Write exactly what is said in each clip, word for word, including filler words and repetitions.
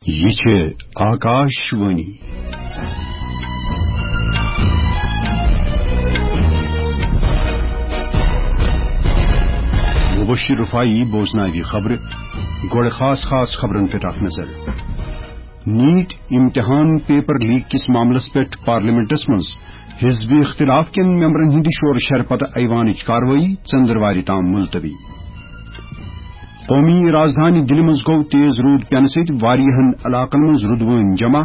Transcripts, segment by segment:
یہِ چھِ آکاش وانی۔ مبشر رفاعی بوزناوِ خبرٕ۔ گۄڈٕ خاص خاص خبرن پٮ۪ٹھ اکھ نظر۔ نیٹ امتحان پیپر لیک کِس معاملس پٮ۪ٹھ پارلیمنٹس منٛز حزب اختلاف کٮ۪ن ممبرن ہٕنٛدِ شورٕ شرٕ پتہٕ ایوانٕچ کاروٲیی ژٔنٛدٕروارِ تام ملتوی۔ قومی رازدھانی دِلہِ منٛز گوٚو تیز روٗد پٮ۪نہٕ سۭتۍ واریاہن علاقن منٛز رُدوٲنۍ جمع،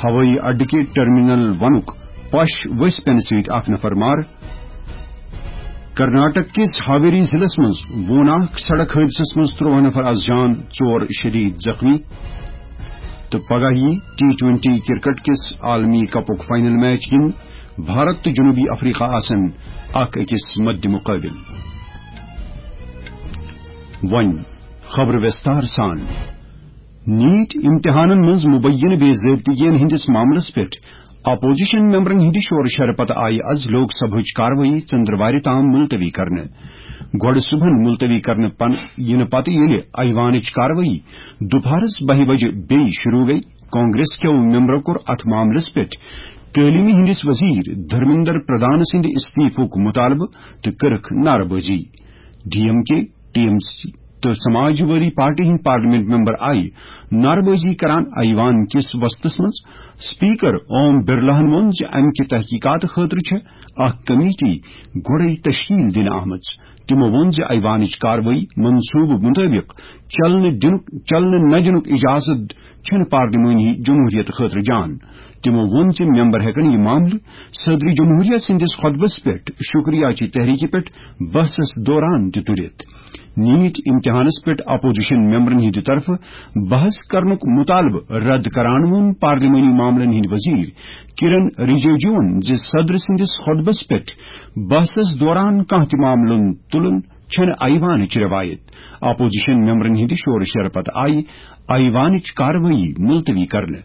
ہوٲیی اڈٕ کہِ ٹرمینل ونُک پش ؤسۍ پٮ۪نہٕ سۭتۍ اکھ نفر مارٕ۔ کرناٹک کِس ہاویری ضلعس منٛز ووناکھ سڑک حٲدثس منٛز ترٛوہ نفر از جان، ژور شدید زخمی۔ تہٕ پگاہ یی ٹی ٹوئنٹی کرکٹ کِس عالمی کپُک فائنل میچ گِنٛدنہٕ بھارت تہٕ جنوبی افریقہ آسن اکھ أکِس مد مقابل۔ وۄنۍ خبر وستار سان۔ نیٹ امتحانن منٛز مبینہ بے ضٲبطگین ہٕنٛدِس معاملس پٮ۪ٹھ اپوزیشن ممبرن ہٕنٛدِ شورٕ شرٕ پتہٕ آیہِ از لوک سبھٕچ کاروٲیی ژٔنٛدٕروارِ تام ملتوی کرنہٕ۔ گۄڈٕ صبحن ملتوی کرنہٕ پن-، یِنہٕ پتہٕ ییٚلہِ ایوانٕچ کاروٲیی دُپہرس بَہہِ بجہِ بیٚیہِ شروع گٔیہِ، کانگریس کیو ممبرو کوٚر اتھ معاملس پٮ۪ٹھ تعلیمہِ ہٕنٛدِس وزیر دھرمیندر پردھان سٕنٛدِ استعفُک مطالبہٕ تہٕ کٔرٕکھ نعرٕ بٲزی۔ ڈی ایم کے، ٹی ایم سی تہٕ سماجوادی پارٹی ہٕنٛدۍ پارلیمنٹ ممبر آیہِ نعرٕ بٲزی کران ایوان کِس وسطس منٛز۔ اسپیکر اوم برلاہن ووٚن زِ امہِ کہِ تحقیقات خٲطرٕ چھےٚ اکھ کمیٹی گۄڈے تشکیل دِنہٕ آمٕژ۔ تِمو ووٚن زِ ایوانٕچ کاروٲیی منصوبہٕ مُطٲبِق چلنہٕ دِنُک، چلنہٕ نہ دِنُک اجازت چھُنہٕ پارلیمانی جمہوریت خٲطرٕ جان۔ تِمو ووٚن زِ ممبر ہٮ۪کن یہِ معاملہٕ صدر جمہوریہ سٕنٛدِس خطبس پٮ۪ٹھ شکریہ چہِ تحریکہِ پٮ۪ٹھ بحثس دوران تہِ تُلِتھ۔ نیٹ امتحانس پٮ۪ٹھ اپوزیشن ممبرن ہٕنٛدِ طرفہٕ بحث کرنُک مطالبہٕ رد کران ووٚن پارلیمانی معاملن ہٕنٛدۍ وزیر کرن رجیجوَن زِ صدر سٕنٛدِس خطبس پٮ۪ٹھ بحثس دوران کانٛہہ تہِ معاملہٕ تُلُن چھنہٕ ایوانٕچ رٮ۪وایت۔ اپوزیشن ممبرن ہٕنٛدِ شورٕ شرٕ پتہٕ آیہِ ایوانٕچ کاروٲیی ملتوی کرنہٕ۔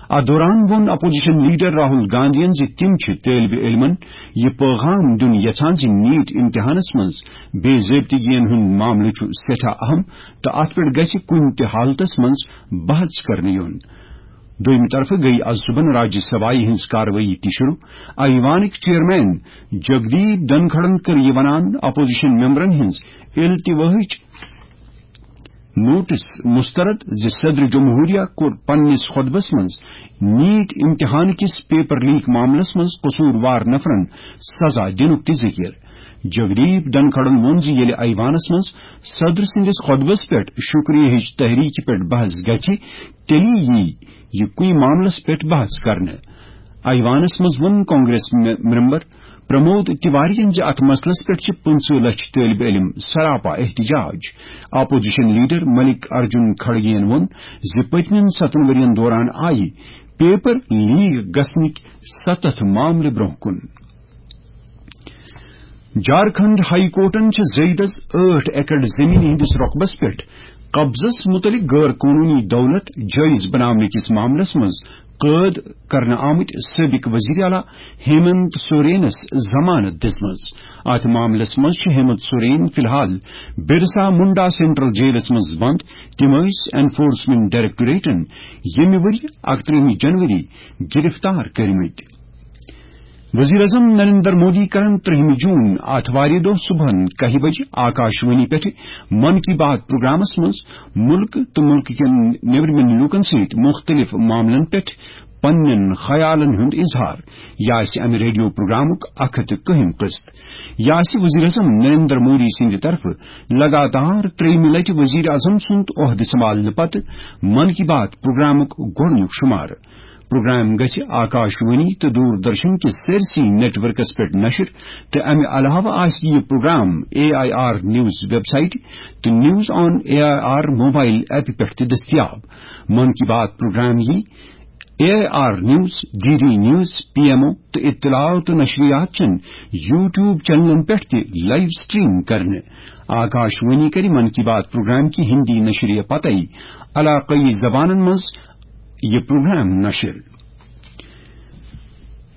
اتھ دوران ووٚن اپوزیشن لیڈر راہل گاندھین زِ تِم چھِ طٲلبِ علمن یہِ پیغام دیُن یژھان زِ نیٹ امتحانس منٛز بے ضٲبطگین ہُنٛد معاملہٕ چھُ سٮ۪ٹھاہ اہم تہٕ اتھ پٮ۪ٹھ گژھِ کُنہِ تہِ حالتس منٛز بحث کرنہٕ یُن۔ دوٚیمہِ طرفہٕ گٔیہِ از صبحن راجیہ سبھایہِ ہٕنٛز کاروٲیی تہِ شروع۔ ایوانٕکۍ چیئرمین جگدیپ دھنکھڑن کٔر یہِ ونان اپوزیشن ممبرن ہٕنٛز التواہٕچ نوٹس مسترد زِ صدر جمہوریہ کوٚر پننِس خطبس منٛز نیٹ امتحان کِس پیپر لیک معاملس منٛز قصوٗروار نفرن سزا دِنُک تہِ ذِکر۔ جگدیپ دھنکھڑن ووٚن زِ ییٚلہِ ایوانس منٛز صدر سٕنٛدِس خطبس پٮ۪ٹھ شکریہ ہٕچ تحریکہِ پٮ۪ٹھ بحث گژھِ، تیٚلہِ یی یہِ کُنہِ معاملس پٮ۪ٹھ بحث کرنہٕ۔ ایوانس منٛز ووٚن کانگریس مے-، ممبر پرمود تیوارین زِ اتھ مسلس پٮ۪ٹھ چھِ پٕنٛژٕہ لچھ طٲلبِ علم سراپا احتجاج۔ اپوزیشن لیڈر ملک ارجن کھڑگین ووٚن زِ پٔتمٮ۪ن ستن ؤرین دوران آیہِ پیپر لیک گژھنٕکۍ ستتھ معاملہٕ برونٛہہ کُن۔ جھارکھنڈ ہائی کورٹن چھِ زیدس ٲٹھ ایکڑ زمین ہٕنٛدِس رقبس پٮ۪ٹھ قبضس مُتعلق غٲر قونوٗنی دولت جٲیز بناونہٕ کِس معاملس منٛز قٲد کرنہٕ آمٕتۍ سٲبق وزیر اعلیٰ ہیمنت سورینس ضمانت دِژمٕژ۔ اتھ معاملس منٛز چھِ ہیمنت سورین فی الحال برسا منڈا سینٹرل جیلس منٛز بند۔ تِم ٲسۍ انفورسمنٹ ڈائریکٹوریٹن ییٚمہِ ؤرۍ اکترٛہمہِ جنوری گرفتار کٔرمٕتۍ۔ وزیر اعظم نریندر مودی کرن ترٛہمہِ جون آتھوارِ دۄہ صبحن کاہہِ بجہِ آکاش وانی پٮ۪ٹھ من کی بات پروگرامس منٛز ملک تہٕ ملک کٮ۪ن نیبرِمٮ۪ن لوٗکن سۭتۍ مُختٔلِف معاملن پٮ۪ٹھ پننٮ۪ن خیالن ہُنٛد اظہار۔ یہِ آسہِ امہِ ریڈیو پروگرامُک اکھ ہتھ تہٕ کٔہِم قسط۔ یہِ آسہِ وزیر اعظم نریندر مودی سٕنٛدِ طرفہٕ لگاتار ترٛیٚیِمہِ لٹہِ وزیر اعظم سُنٛد عہدٕ سنبھالنہٕ پتہٕ من کی بات پروگرامُک گۄڈٕنیُک شمارٕ۔ پروگرام گژھِ آکاش وانی تہٕ دوردرشن کِس سٲرسٕے نیٹ ورکس پٮ۪ٹھ نشر، تہٕ امہِ علاوٕ آسہِ یہِ programme A I R news website تہٕ news on A I R mobile app پٮ۪ٹھ تہِ دٔستیاب۔ من کی بات پروگرام یی A I R news, D D news, P M O تہٕ اطلاعات تہٕ نشریات چٮ۪ن یوٹیوب چینلن پٮ۪ٹھ تہِ لائیو سٹریم کرنہٕ۔ آکاش وانی کرِ من کی بات پروگرام کہِ ہندی نشریہ پتے علاقائی زبانن منٛز یہِ پروگرام نشر۔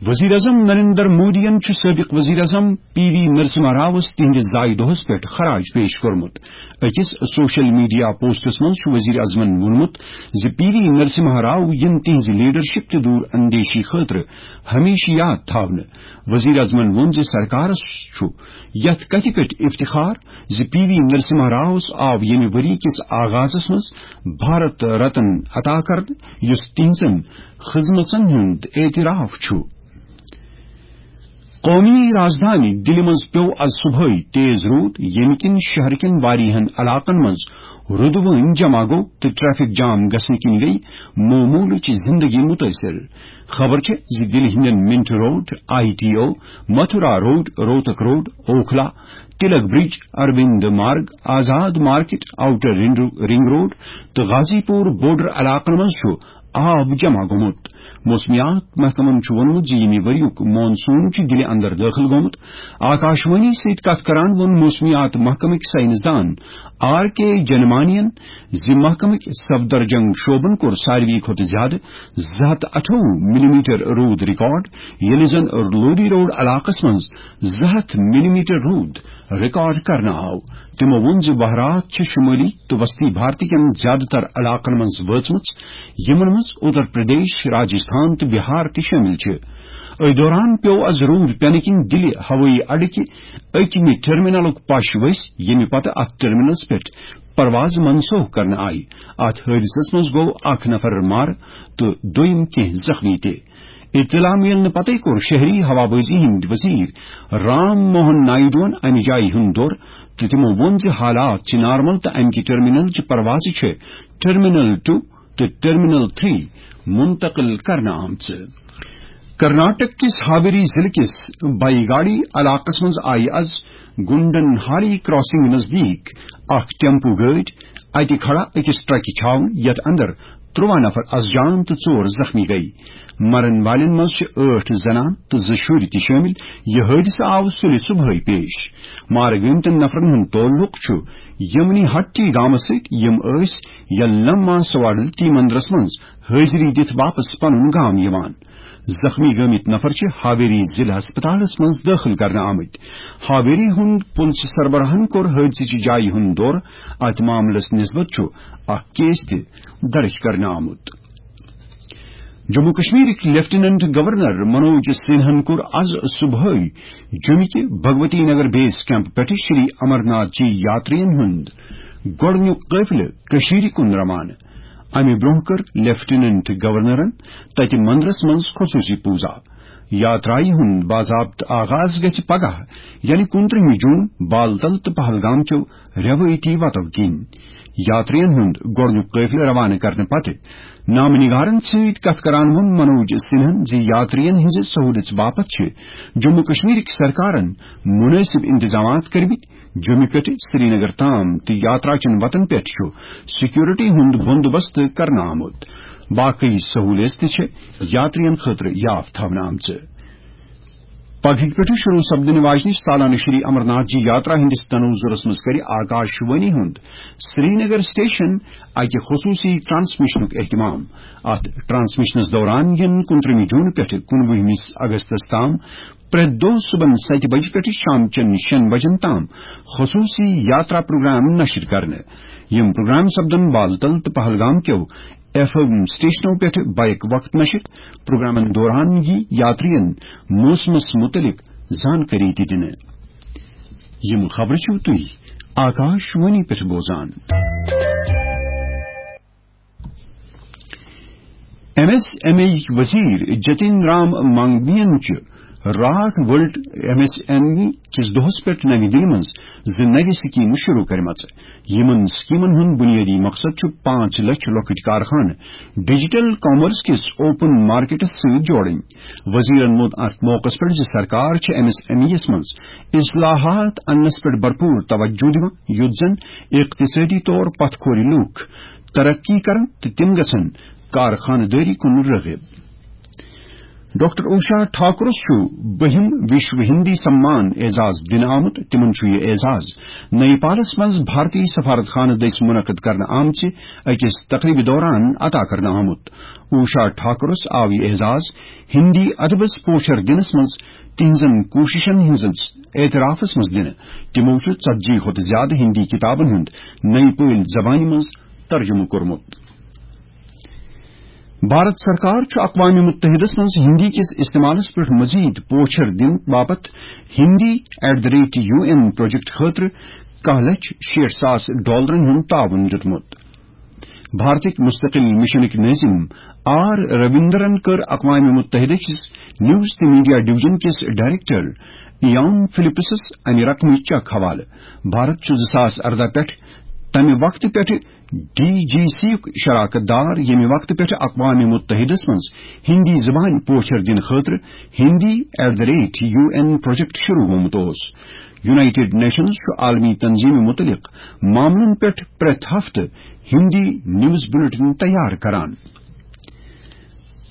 وزیر اعظم نریندر مودیَن چھُ سٲبق وزیر اعظم پی وی نرسمہا راوس تِہنٛدِس زایہِ دۄہس پٮ۪ٹھ خراج پیش کوٚرمُت۔ أکِس سوشل میڈیا پوسٹس منٛز چھُ وزیر اعظمن ووٚنمُت زِ پی وی نرسمہا راو یِن تِہنٛزِ لیڈرشپ تہٕ دوٗر اندیشی خٲطرٕ ہمیشہٕ یاد تھاونہٕ۔ وزیر اعظمن ووٚن زِ سرکارس چھُ یتھ کتھِ پٮ۪ٹھ افتخار زِ پی وی نرسمہا راوس آو ییٚمہِ ؤری کِس آغازس منٛز بھارت رتن عطا کرنہٕ، یُس تِہنٛزن خدمژن ہُنٛد اعتراف چھُ۔ قومی رازدھانی دِلہِ منٛز پیوٚو از صبحٲے تیز روٗد، ییٚمہِ کِنۍ شہر کٮ۪ن واریاہن علاقن منٛز روٗدٕ وٲنۍ جمع گوٚو تہٕ ٹریفک جام گژھنہٕ کِنۍ گٔیہِ معموٗلٕچ زندگی مُتٲثِر۔ خبر چھےٚ زِ دِلہِ ہٕنٛدٮ۪ن Minto road, I T O, Mathura road, Rohtak road, Okhla, Tilak bridge, Aurobindo Marg, Azad market, outer ring, ring road تہٕ غازی پور بارڈر علاقن منٛز چھُ آب جمع گوٚمُت۔ موسمیات محکمن چھُ ووٚنمُت زِ ییٚمہِ ؤریُک مانسون چھُ دِلہِ اندر دٲخل گوٚمُت۔ آکاشوانی سۭتۍ کتھ کران ووٚن موسمیات محکمٕکۍ سائنسدان آر کے جنمانین زِ محکمٕکۍ سفدرجنگ شعبن کوٚر ساروی کھۄتہٕ زیادٕ زٕ ہتھ اَٹھووُہ ملی میٹر روٗد ریکارڈ، ییٚلہِ زن لودی روڈ علاقس منٛز زٕ ہتھ ملی میٹر روٗد ریکارڈ کرنہٕ آو۔ تِمو ووٚن زِ وہرات چھِ شمٲلی تہٕ وسطی بھارت کٮ۪ن زیادٕ تر علاقن منٛز وٲژمٕژ، یِمن منٛز اتر پردیش، راجستھان تہٕ بہار تہِ شٲمِل چھِ۔ أتھۍ دوران پیوٚو از روٗد پٮ۪نہٕ کِنۍ دِلہِ ہوٲیی اڈٕ کہِ أکمہِ ٹرمینلُک پش ؤسۍ، ییٚمہِ پتہٕ اتھ ٹرمینلس پٮ۪ٹھ پرواز منسوخ کرنہٕ آیہِ۔ اتھ حٲدثس منٛز گوٚو اکھ نفر مارٕ تہٕ دوٚیِم کینٛہہ زخمی تہِ۔ اطلاع میلنہٕ پتَے کوٚر شہری ہوابازی ہٕنٛدۍ وزیر رام موہن نائیڈوَن امہِ جایہِ ہُنٛد دورٕ تہٕ تِمو ووٚن زِ حالات چھِ نارمل تہٕ امہِ کہِ ٹرمینل چہِ پروازٕ چھِ ٹرمینل ٹو تہٕ ٹرمینل تھری منتقل کرنہٕ آمژٕ۔ کرناٹک کِس ہاویری ضلعہٕ کِس بایگاڑی علاقس منٛز آیہِ از گنڈن ہالی کراسنگ نزدیٖک اکھ ٹیمپو گٲڑۍ اتہِ کھڑا أکِس ٹرکہِ چھاونہٕ، یتھ اندر ترٛواہ نفر از جان تہٕ ژور زخمی گٔیہِ۔ مرن والٮ۪ن منٛز چھِ ٲٹھ زنان تہٕ زٕ شُرۍ تہِ شٲمِل۔ یہِ حٲدثہٕ آو سُلہِ صبحٲے پیش۔ مارٕ گٲمتٮ۪ن نفرن ہُنٛد تعلق چھُ یمنی ہٹی گامس سۭتۍ، یِم ٲسۍ یلما سواڈلتی مندرس منٛز حٲضری دِتھ واپس پنُن گام یِوان۔ زخمی گٲمٕتۍ نفر چھِ ہاویری ضلع ہسپتالس منٛز دٲخل کرنہٕ آمٕتۍ۔ ہاویری ہُنٛد پُلسہٕ سربراہن کوٚر حٲدثٕچہِ جایہِ ہُنٛد دورٕ۔ اتھ معاملس نسبت چھُ اکھ کیس تہِ درج کرنہٕ آمُت۔ جموں کشمیرٕکۍ لیفٹیننٹ گورنر منوج سنہن کوٚر از صبحٲے جوٚمہِ کہِ بھگوتی نگر بیس کیمپ پٮ۪ٹھٕ شری امرناتھ جی یاترین ہُنٛد گۄڈٕنیُک قٲفلہٕ کٔشیٖرِ کُن روانہٕ۔ امہِ برٛونٛہہ کٔر لیفٹیننٹ گورنرن تتہِ مندرس منٛز خصوٗصی پوٗزا۔ یاترایہِ ہُنٛد باضابطہٕ آغاز گژھِ پگاہ، یعنی کُنترٕہمہِ جوٗن، بالتل تہٕ پہلگام چیو رٮ۪وٲیتی وتو کِنۍ۔ یاترین ہُنٛد گۄڈٕنیُک قٲفلہٕ روانہٕ کرنہٕ پتہٕ نامہٕ نگارن سۭتۍ کتھ کران ووٚن منوج سنہن زِ یاترین ہٕنٛزِ سہوٗلژ باپتھ چھِ جموں کشمیرٕکۍ سرکارن مُنٲسِب انتظامات کٔرمٕتۍ۔ جوٚمہِ پٮ۪ٹھٕ سرینگر تام تہٕ یاترا چٮ۪ن وتن پٮ۪ٹھ چھُ سیکورٹی ہُنٛد بندوبست کرنہٕ آمُت۔ باقی سہوٗلیژ تہِ چھِ یاترین خٲطرٕ یاف تھاونہٕ آمژٕ۔ پگہٕکۍ پٮ۪ٹھٕ شروع سپدٕنہٕ واجنہِ سالانہٕ شری امرناتھ جی یاترا ہٕنٛدِس تناظرس منٛز کرِ آکاشوانی ہُنٛد سرینگر سٹیشن اکہِ خصوٗصی ٹرانسمیشنُک اہتمام۔ اتھ ٹرانسمیشنس دوران یِن کُنترٕہمہِ جوٗن پٮ۪ٹھٕ کُنوُہمِس اگستس تام پرٛٮ۪تھ دۄہ صُبحن ستہِ بجہِ پٮ۪ٹھٕ شام چٮ۪ن شٮ۪ن بجن تام خصوٗصی یاترا پروگرام نشر کرنہٕ۔ یِم پروگرام سپدن بالتل تہٕ پہلگام کیو ایف ایم سٹیشنو پٮ۪ٹھ بیک وقت نشر۔ پروگرامن دوران یی یاترین موسمس متعلق زانکٲری تہِ دِنہٕ۔ یِم خبرٕ چھِو تُہۍ آکاش وانی پٮ۪ٹھ بوزان۔ ایم ایس ایم ای وزیر جتن رام مانگوین چھُ راٹھ world M S M E کِس دۄہس پٮ۪ٹھ نَوِ دِلہِ منٛز زٕ نَوِ سکیمہٕ شروع کٔرمٕژ۔ یِمن سکیمن ہُنٛد بُنیٲدی مقصد چھُ پانٛژھ لچھ لۄکٕٹۍ کارخانہٕ ڈیجیٹل کامرس کِس اوپن مارکیٹس سۭتۍ جوڑٕنۍ۔ وزیرن ووٚن اتھ موقعس پٮ۪ٹھ زِ سرکار چھِ ایم ایس ایم ای یس منٛز اصلاحات اننس پٮ۪ٹھ بھرپور توجہ دِوان، یُتھ زن اقتصٲدی طور پتھ کھورِ لوٗکھ ترقی کرن تہٕ تِم گژھن کارخانہٕ دٲری کُن رٲغب۔ ڈاکٹر اوشا ٹھاکرس چھُ بٔہِم وشو ہندی سمان اعزاز دِنہٕ آمُت۔ تِمن چھُ یہِ اعزاز نیپالس منٛز بھارتی سفارت خانہٕ دٔسۍ منعقد کرنہٕ آمژِ أکِس تقریبہِ دوران عطا کرنہٕ آمُت۔ اوشا ٹھاکرس آو یہِ اعزاز ہندی ادبس پوچھر دِنس منٛز تِہنٛزن کوٗششن ہٕنٛدِس اعترافس منٛز دِنہٕ۔ تِمو چھُ ژتجی کھۄتہٕ زیادٕ ہندی کتابن ہُنٛد نَیہِ پٲلۍ زبانہِ منٛز ترجمہٕ کوٚرمُت۔ بھارت سرکار چھُ اقوام متحدس منٛز ہندی کِس استعمالس پٮ۪ٹھ مزید پوچھر دِنہٕ باپتھ Hindi at the rate U N project خٲطرٕ کاہ لچھ شیٹھ ساس ڈالرن ہُنٛد تعاون دیُتمُت۔ بھارتٕکۍ مستقل مشنٕکۍ نٲظم آر رویندرن کٔر اقوام متحدہ کِس نیوز تہٕ میڈیا ڈویژن کِس ڈائریکٹر ایان فلپسس امہِ رقمٕچ چیک حوالہٕ۔ بھارت چھُ زٕ ساس ارداہ پٮ۪ٹھ تمہِ وقتہٕ پٮ۪ٹھٕ ڈی جی سی یُک شراکت دار، ییٚمہِ وقتہٕ پٮ۪ٹھٕ اقوام متحدس منٛز ہندی زبان پوچھر دِنہٕ خٲطرٕ Hindi at the rate U N project شروع گوٚمُت اوس۔ یونائیٹڈ نیشنز چھُ عالمی تنظیمہِ متعلق معاملن پٮ۪ٹھ پرٛٮ۪تھ ہفتہٕ ہندی نیوز بلیٹن تیار کران۔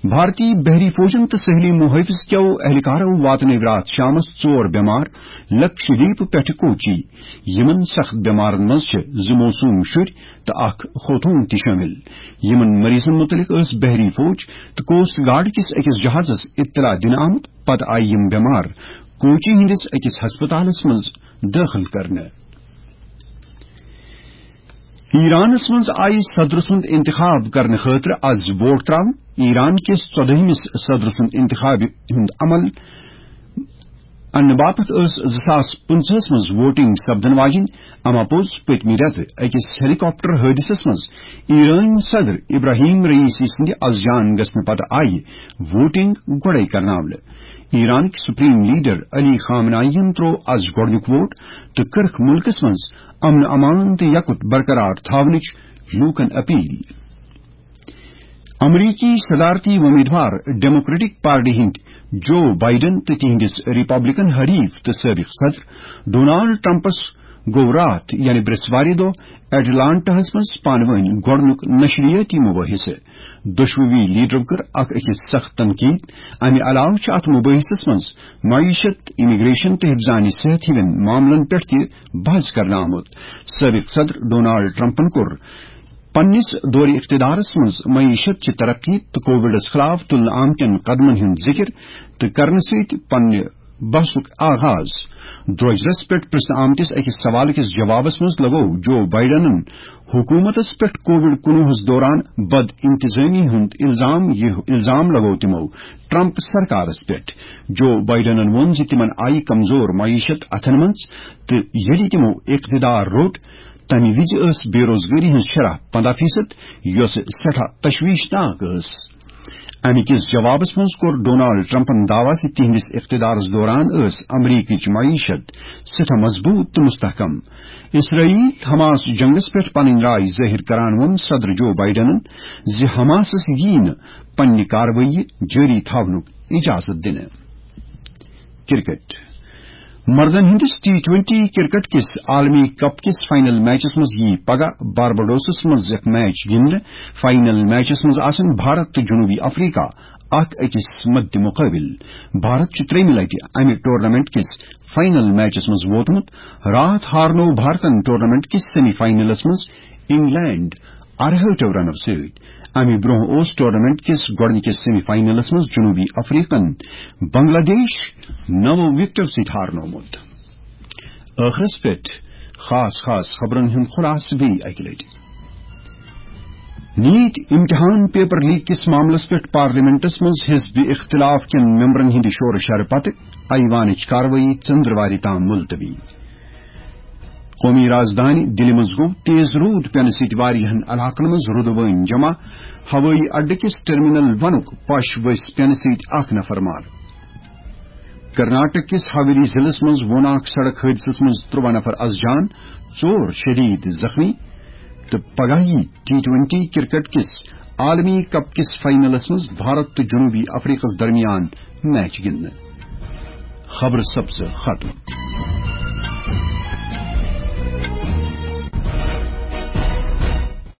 بھارتی بحری فوجن تہٕ ساحلی محافظ کیو اہلکارو واتنٲوۍ راتھ شامس ژور بٮ۪مار لکشدیپ پٮ۪ٹھٕ کوچی۔ یِمن سخت بٮ۪مارن منٛز چھِ زٕ معصوم شُرۍ تہٕ اکھ خوتوٗن تہِ شٲمِل۔ یِمن مریضن مُتعلق ٲس بحری فوج تہٕ کوسٹ گارڈ کِس أکِس جہازس اطلاع دِنہٕ آمُت۔ پتہٕ آیہِ یِم بٮ۪مار کوچی ہٕنٛدِس أکِس ہسپتالس منٛز دٲخل کرنہٕ۔ ایرانس منٛز آیہِ صدر سُنٛد انتخاب کرنہٕ خٲطرٕ از ووٹ تراونہٕ۔ ایران کِس ژۄدٲہمِس صدر سُنٛد انتخاب ہُنٛد عمل انہٕ باپتھ ٲس زٕ ساس پٕنٛژٕہس منٛز ووٹنگ سپدن واجِنۍ۔ اما پوٚز پٔتمہِ رٮ۪تہٕ أکِس ہیلی کاپٹر حٲدثس منٛز ایرٲنۍ صدر ابراہیم رئیسی سٕنٛدِ از جان گژھنہٕ پتہٕ آیہِ ووٹنگ گۄڈَے کرناونہٕ۔ ایرانٕکۍ سپریم لیڈر علی خامنائی یَن تروو از گۄڈٕنیُک ووٹ تہٕ کٔرٕکھ مُلکس منٛز امن امان تہٕ یکُت برقرار تھاونٕچ لوٗکن اپیل۔ امریکی صدارتی وۄمیدوار ڈیموکریٹک پارٹی ہٕنٛدۍ جو بائیڈن تہٕ تِہنٛدِس ریپبلکن حریف تہٕ سٲبق صدر ڈونالڈ ٹرمپس گوٚو راتھ، یعنی برٛٮ۪سوارِ دۄہ، ایٹلانٹاہس منٛز پانہٕ وٲنۍ گۄڈٕنیُک نشریٲتی مباحثہٕ۔ دۄشوٕنی لیڈرو کٔر اکھ أکِس سخت تنقید، امہِ علاوٕ چھُ اتھ مباحثس منٛز معیشت، امیگریشن تہٕ حفظان صحت ہِوٮ۪ن معاملن پٮ۪ٹھ تہِ بحث کرنہٕ آمُت۔ سٲبق صدر ڈونالڈ ٹرمپن کوٚر پننِس دورِ اقتدارس منٛز معیشت چہِ ترقی تہٕ کووڈس خلاف تُلنہٕ آمتٮ۪ن قدمن ہُنٛد ذِکر تہٕ کرنہٕ سۭتۍ پننہِ بحثُک آغاز۔ درٛوجرس پٮ۪ٹھ پرژھنہٕ آمتِس أکِس سوال کِس جوابس منٛز لگوو جو بائیڈنن حکومتس پٮ۪ٹھ کووڈ کُنوُہس دوران بد انتظامی ہُنٛد الزام۔ یہِ الزام لگوو تِمو ٹرمپ سرکارس پٮ۪ٹھ۔ جو بائیڈنن ووٚن زِ تِمن آیہِ کمزور معیشت اتھن منٛز تہٕ ییٚلہِ تِمو اقتدار روٚٹ، تَمہِ وِزِ ٲس بے روزگٲری ہٕنٛز شرح پنٛداہ فیصد، یۄس سٮ۪ٹھاہ تشویشناک ٲس۔ اَمہِ کِس جوابس منٛز کوٚر ڈونالڈ ٹرمپن دعویٰ زِ تِہنٛدِس اقتدارس دوران ٲس امریکٕچ معیشت سٮ۪ٹھاہ مضبوط تہٕ مستحکم۔ اسرائیل حماس جنگس پٮ۪ٹھ پنٕنۍ راے ظٲہِر کران ووٚن صدر جو بائیڈنن زِ حماسس ییہِ نہٕ پننہِ کاروٲیی جٲری تھاونُک اجازت دِنہٕ۔ کرکٹ۔ مردن ہٕنٛدِس ٹی ٹوئنٹی کرکٹ کِس عالمی کپ کِس فائنل میچس منٛز یِیہِ پگاہ بارباڈوسس منٛز اکھ میچ گِنٛدنہٕ۔ فائنل میچس منٛز آسن بھارت تہٕ جنوبی افریقہ اکھ أکِس مدِ مقابل۔ بھارت چھُ ترٛیٚیِمہِ لٹہِ امہِ ٹورنامنٹ کِس فائنل میچس منٛز ووتمُت۔ راتھ ہارنوو بھارتن ٹورنامنٹ کِس سیمی فائنلس منٛز انگلینڈ ارہٲٹھو رنو سۭتۍ۔ امہِ برونٛہہ اوس ٹورنامنٹ کِس گۄڈٕنِکِس سیمی فائنلس منٛز جنوبی افریقن بنگلہ دیش نَو وِکٹو سۭتۍ ہارنومُت۔ ٲخرس پٮ۪ٹھ خاص خاص خبرن ہُنٛد خلاصہٕ بیٚیہِ اکہِ لٹہِ۔ نیٹ امتحان پیپر لیک کِس معاملس پٮ۪ٹھ پارلیمنٹس منٛز حزب اختلاف کٮ۪ن ممبرن ہٕنٛدِ شورٕ شرٕ پتہٕ ایوانٕچ کاروٲیی ژٔنٛدٕروارِ تام ملتوی۔ قومی رازدانہِ دِلہِ منٛز گوٚو تیز روٗد پینہٕ سۭتۍ واریاہن علاقن منٛز روٗدٕ وٲنۍ جمع۔ ہوٲیی اڈٕ کِس ٹرمینل ونُک پش ؤسۍ پینہٕ سۭتۍ اکھ نفر مارٕ۔ کرناٹک کِس حویلی ضلعس منٛز ووناک سڑک حٲدثس منٛز ترٛواہ نفر از جان، ژور شدید زخمی۔ تہٕ پگاہ یی ٹی ٹوئنٹی کرکٹ کِس عالمی کپ کِس فائنلس منٛز بھارت تہٕ جنوبی افریقس درمیان میچ گِنٛدنہٕ۔ خبرٕ سپزٕ ختم۔